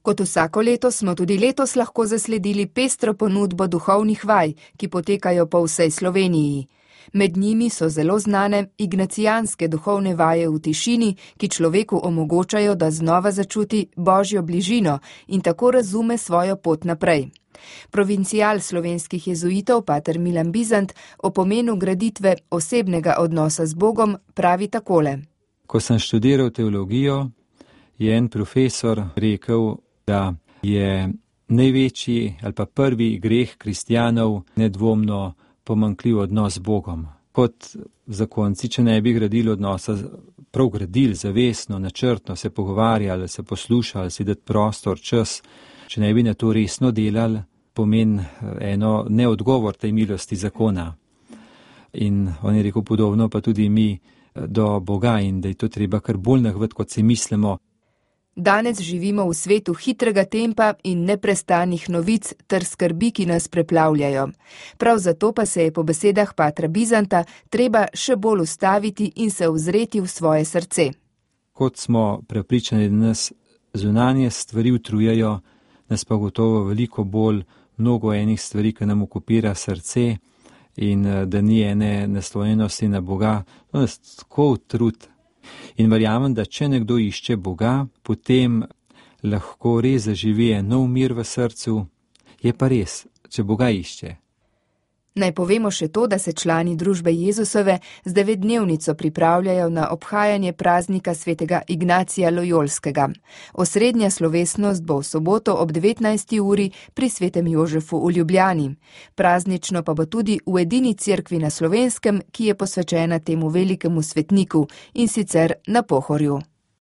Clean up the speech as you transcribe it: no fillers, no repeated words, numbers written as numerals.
Kot vsako leto smo tudi letos lahko zasledili pestro ponudbo duhovnih vaj, ki potekajo po vsej Sloveniji. Med njimi so zelo znane ignacijanske duhovne vaje v tišini, ki človeku omogočajo, da znova začuti Božjo bližino in tako razume svojo pot naprej. Provincial slovenskih jezuitov pater Milan Bizant o pomenu graditve osebnega odnosa z Bogom pravi takole. Ko sem študiral teologijo, je en profesor rekel, da je največji ali pa prvi greh kristjanov nedvomno pomanjkljiv odnos z Bogom. Kot zakonci, če ne bi gradili odnosa, prav gradili zavestno, načrtno, se pogovarjali, se poslušali, si dati prostor, čas, če ne bi na to resno delali, pomeni eno neodgovor tej milosti zakona. In on je rekel podobno, pa tudi mi do Boga in da je to treba kar bolj nahvati, kot si mislimo. Danes živimo v svetu hitrega tempa in neprestanih novic ter skrbi, ki nas preplavljajo. Prav zato pa se je po besedah patra Bizanta treba še bolj ustaviti in se ozreti v svoje srce. Kot smo prepričani, da nas zunanje stvari utrujajo, nas pa gotovo veliko bolj mnogo enih stvari, ki nam okupira srce in da ni ene naslonjenosti na Boga, to nas tako utrud. In verjamem, da če nekdo išče Boga, potem lahko res zaživi nov mir v srcu. Je pa res, če Boga išče. Naj povemo še to, da se člani družbe Jezusove z 9-dnevnico pripravljajo na obhajanje praznika svetega Ignacija Lojolskega. Osrednja slovesnost bo v soboto ob 19. uri pri svetem Jožefu v Ljubljani. Praznično pa bo tudi v edini cerkvi na Slovenskem, ki je posvečena temu velikemu svetniku, in sicer na Pohorju.